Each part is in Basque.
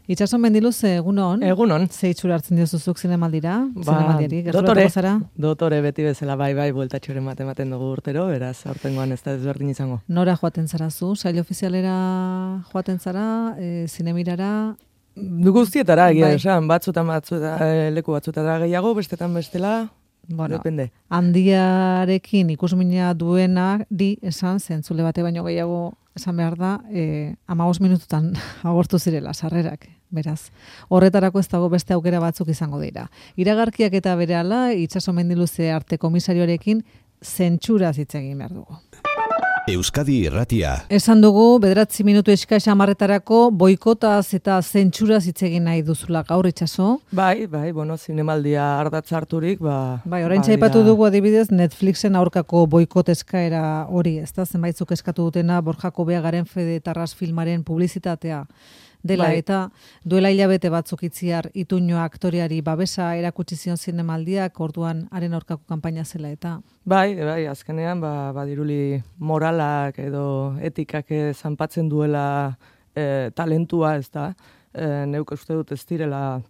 Itxaso Mendiluz, egunon. Egunon. Ze itxura hartzen diozuzuk zinemaldira? Zinemaldiari, dotore beti bezala, bai, bueltatxoren ematen dugu urtero, beraz, aurtengoan ez da ezberdin izango. Nora joaten zara zu? Sail ofizialera joaten zara, zinemirara? Guztietara, egia esan, batzutan leku batzutara gehiago, bestetan bestela, depende. Handiarekin ikusmina duena esan, zentzule bate baino gehiago esan behar da, 15 minututan agortu zirela sarrerak. Beraz, horretarako ez dago beste aukera batzuk izango dira. Iragarkiak eta berehala, Itxaso Mendiluze arte komisarioarekin zentsuraz hitz egin behar dugu. Euskadi Irratia. Esan dugu, 9 minutu eskas 10etarako boikotaz eta zentsuraz hitz egin nahi duzula gaur, Itxaso. Bai, zinemaldia ardatz harturik, Bai, oraintxe aipatu dugu adibidez Netflixen aurkako boikot eskaera hori, ezta? Zenbaitzuk eskatu dutena Borja Kobeagaren Fede Tarras filmaren publizitatea dela, eta duela hilabete batzuk itziar Ituño aktoreari babesa erakutsi zion zinemaldiak, orduan haren aurkako kanpaina zela eta. Bai, azkenean badiruli moralak edo etikak zanpatzen duela talentua, ez da. Neuk uste dut ez direla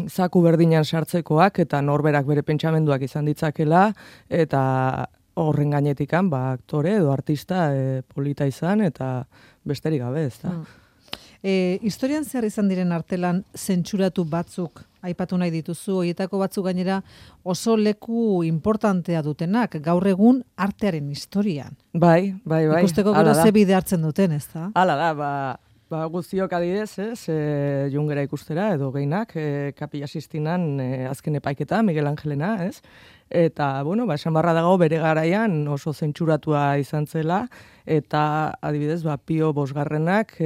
zaku berdinan sartzekoak eta norberak bere pentsamenduak izan ditzakela, eta horren gainetikan aktore edo artista polita izan eta besterik gabe, ez da. Historian zehar izan diren artelan zentsuratu batzuk aipatu nahi dituzu, horietako batzuk gainera oso leku importantea dutenak, gaur egun artearen historian. Bai. Ikusteko gero ze bide hartzen duten, ez da? Hala da, guztiok adidez, Jungera ikustera edo geinak, Kapilla Sistinan azken epaiketa, Miguel Angelena, ez? Eta, esan barra dago bere garaian oso zentsuratua izan zela, eta adibidez, Pio Bosgarrenak,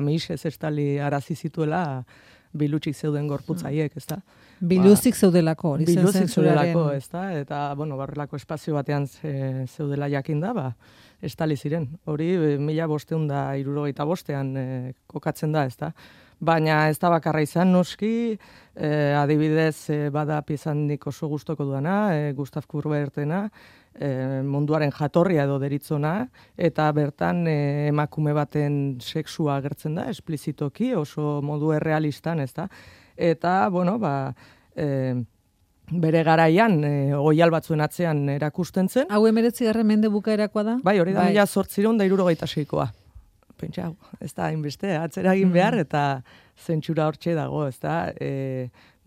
Mix ez estali arazi zituela bilutsik zeuden gorputzaiek, ez da? Biluzik zeudelako, hori zen Biluzik zentsuraren. zeudelako, ez da? Eta, barrelako espazio batean zeudela jakinda, estali ziren. Hori, 1565 kokatzen da, ez da? Baina ez da bakarra izan, noski, adibidez, bada piezandik oso gustoko duana, Gustav Kurbertena, munduaren jatorria edo deritzona, eta bertan emakume baten sexua agertzen da, esplizitoki, oso modu errealistan, ez da? Eta, bere garaian, oial batzuen atzean erakusten zen. Hau 19. mende bukaerakoa da? Bai, hori da 1876koa. Pentsa, ez da, hainbeste, atzera egin behar, eta zentsura hortxe dago, ez da.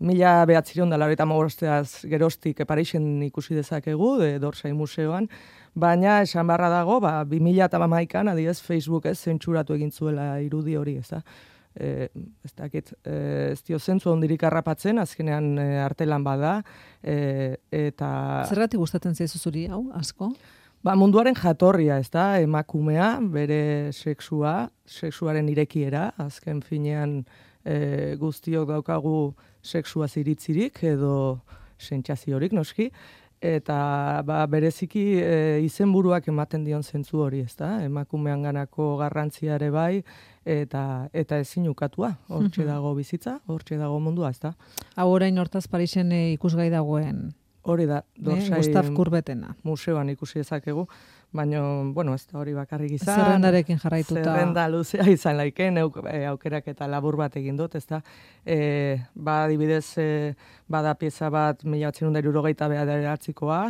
1985 geroztik Parisen ikusi dezakegu, Dorsai Museoan, baina esan barra dago, 2011an, adibidez, Facebook zentsuratu egin zuela irudi hori, ez da. Ez dakit, ez dio zentzu ondirik harrapatzen, azkenean artelan bada, eta... Zergatik gustatzen zaizu zuri hau, asko? Munduaren jatorria, ez da, emakumea, bere sexuaren irekiera, azken finean guztiok daukagu sexua ziritzirik edo sentsaziorik noski, eta bereziki izenburuak ematen dion zentzu hori, ez da, emakumean ganako garrantziare bai, eta ezin ukatua, hortxe dago bizitza, hortxe dago mundua, ez da. Hau orain hortaz Parisen ikusgai dagoen. Hori da, Dorsai Gustav Kurbetena. Museoan ikusi dezakegu, baina, ez da hori bakarrik izan. Zerrendarekin jarraituta. Zerrenda luzea izan laiken, aukerak eta labur bat egin dut, ez da. Adibidez, bada pieza bat 1979koa,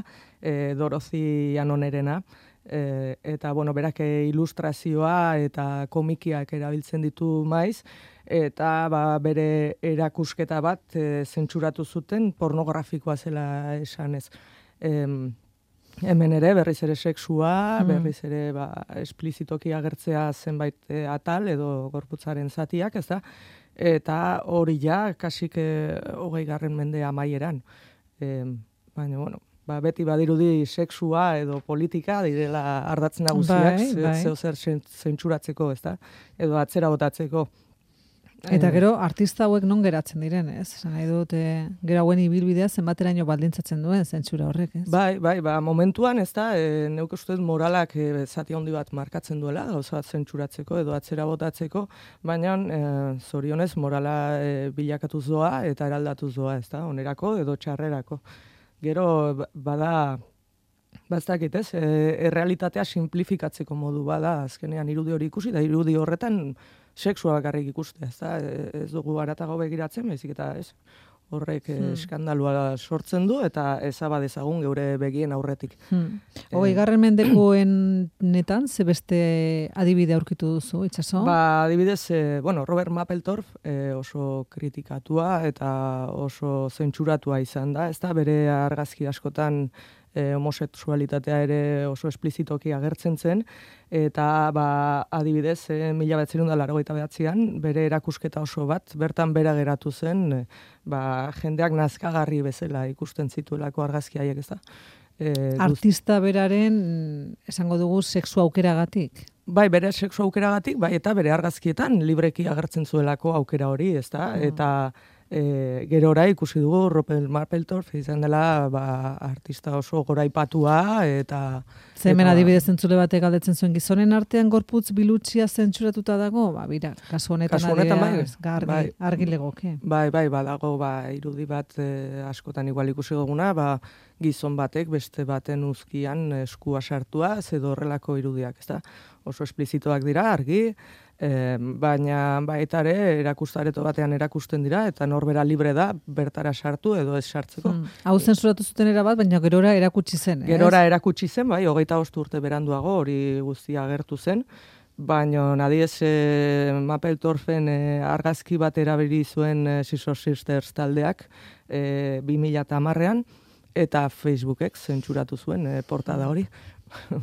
Dorothy Anonerena, eta, berak ilustrazioa eta komikiak erabiltzen ditu maiz, eta bere erakusketa bat zentsuratu zuten pornografikoa zela esanez. Hemen ere, berriz ere sexua, berriz ere esplizitoki agertzea zenbait atal edo gorputzaren zatiak, ez da? Eta hori kasik 20. mende amaieran. Baina, beti badirudi sexua edo politika direla ardatz nagusiak, zeo zer zentsuratzeko, ez da? Edo atzera botatzeko. Eta gero, artista hauek non geratzen diren, ez? Esan nahi dut, gero hauen ibilbidea zenbateraino baldintzatzen duen zentsura horrek, ez? Bai, momentuan, ez da, neuk uste moralak zati handi bat markatzen duela, gauza bat zentsuratzeko edo atzera botatzeko, baina zorionez morala bilakatuz doa eta eraldatuz doa, ez da, onerako edo txarrerako. Gero, bastakit, ez? Errealitatea simplifikatzeko modu bada, azkenean irudi hori ikusi, da irudi horretan sexua bakarrik ikuste, ez dugu haratago begiratzen, baizik eta ez. Horrek eskandalua sortzen du eta ezaba dezagun geure begien aurretik. 20. mendekoen netan, ze beste adibide aurkitu duzu, Itxaso? Adibidez, Robert Mapplethorpe oso kritikatua eta oso zentsuratua izan da, ezta bere argazki askotan homosexualitatea ere oso esplizitoki agertzen zen, eta adibidez, 1989an bere erakusketa oso bat, bertan bera geratu zen, jendeak nazkagarri bezala ikusten zituelako argazki haiek, ez da? Artista beraren, esango dugu, sexu aukeragatik? Bai, bere sexu aukeragatik, bai, eta bere argazkietan libreki agertzen zuelako aukera hori, ez da? Eta gerora ikusi dugu Robert Mapplethorpe izan dela artista oso goraipatua eta hemen adibidez entzule batek galdetzen zuen gizonen artean gorputz bilutsia zentzuratuta dago, bira, kasu honetan argi legoke. Bai, badago irudi bat askotan igual ikusi duguna, gizon batek beste baten uzkian eskua sartua, edo horrelako irudiak, ezta? Oso esplizitoak dira, argi, baina baita ere erakustareto batean erakusten dira eta norbera libre da bertara sartu edo ez sartzeko. Hau zensuratu zuten erabat, baina gerora erakutsi zen. Gerora erakutsi zen, bai, 25 urte beranduago hori guztia agertu zen, baina nadiez Mapplethorpen argazki bat erabili zuen Scissor Sisters taldeak 2010an eta Facebookek zentzuratu zuen portada hori.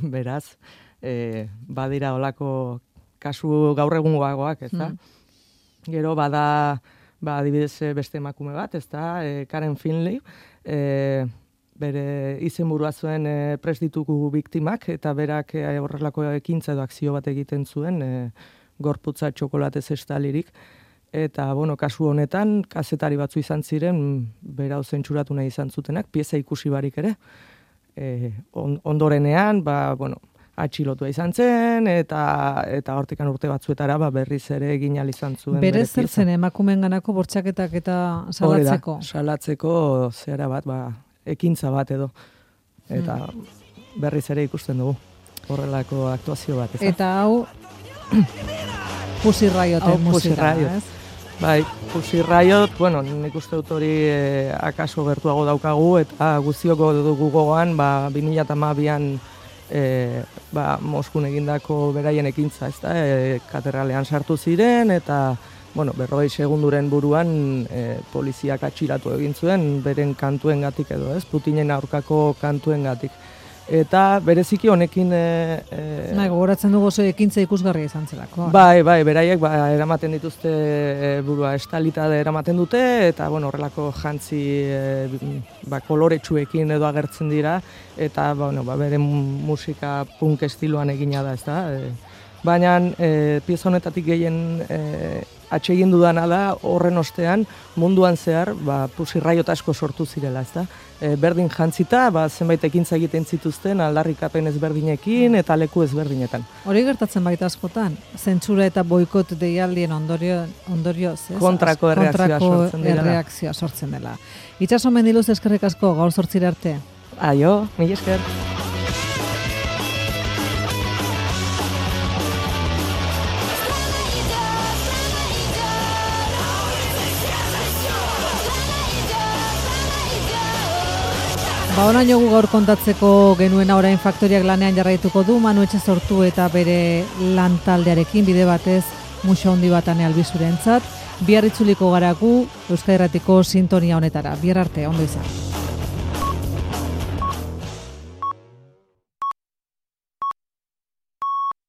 Beraz, badira olako kasu gaur egungoagoak, ez da? Gero bada, adibidez beste emakume bat, ez da? Karen Finley, bere izenburua zuen prestituku biktimak, eta berak horrelako ekintza edo akzio bat egiten zuen, gorputza txokolatez estalirik. Eta, kasu honetan, kazetari batzu izan ziren, bera zentzuratu nahi izan zutenak, pieza ikusi barik ere. Ondorenean, atxilotua izan zen, eta hortikan urte batzuetara berriz ere egin ahal izan zuen. Berez zer zen emakumeen ganako bortxaketak eta salatzeko? Salatzeko zera bat, ekintza bat edo. Eta berriz ere ikusten dugu horrelako aktuazio bat. Eta hau Pussy Rioten musika, ez? Bai, Pussy Riot, nik uste dut hori akaso gertuago daukagu, eta guztioko dugu gogoan, 2012an Moskun egindako beraien ekintza, ez da, katedralean sartu ziren, eta, 40 segunduren buruan poliziak atxilatu egin zuen, beren kantuen gatik edo, ez, Putinen aurkako kantuen gatik. Eta bereziki honekin... gogoratzen dugu oso ekintza ikusgarria izan zelako. Bai, beraiek eramaten dituzte burua estalita eramaten dute, eta horrelako jantzi koloretsuekin edo agertzen dira, eta bere musika punk estiloan egina da, ez da. Baina pieza honetatik gehien atsegin dudana da, horren ostean munduan zehar Pussy Riot asko sortu zirela, ez da. Berdin jantzita, zenbait ekintza egiten zituzten aldarrikapen ezberdinekin eta leku ezberdinetan. Hori gertatzen baita askotan, zentsura eta boikot deialdien ondorioz, ez? Kontrako erreakzioa sortzen dela. Itxaso Mendiluz eskerrik asko, gaur 8 arte. Aio, mila esker. Honaino gu gaur kontatzeko genuena orain Faktoriak lanean jarraituko du, Manu Etxezortu eta bere lantaldearekin bide batez muxo handi bat Ane Albizurentzat. Bihar itzuliko gara gu Euskadi Irratiko sintonia honetara. Bihar arte, ondo izan.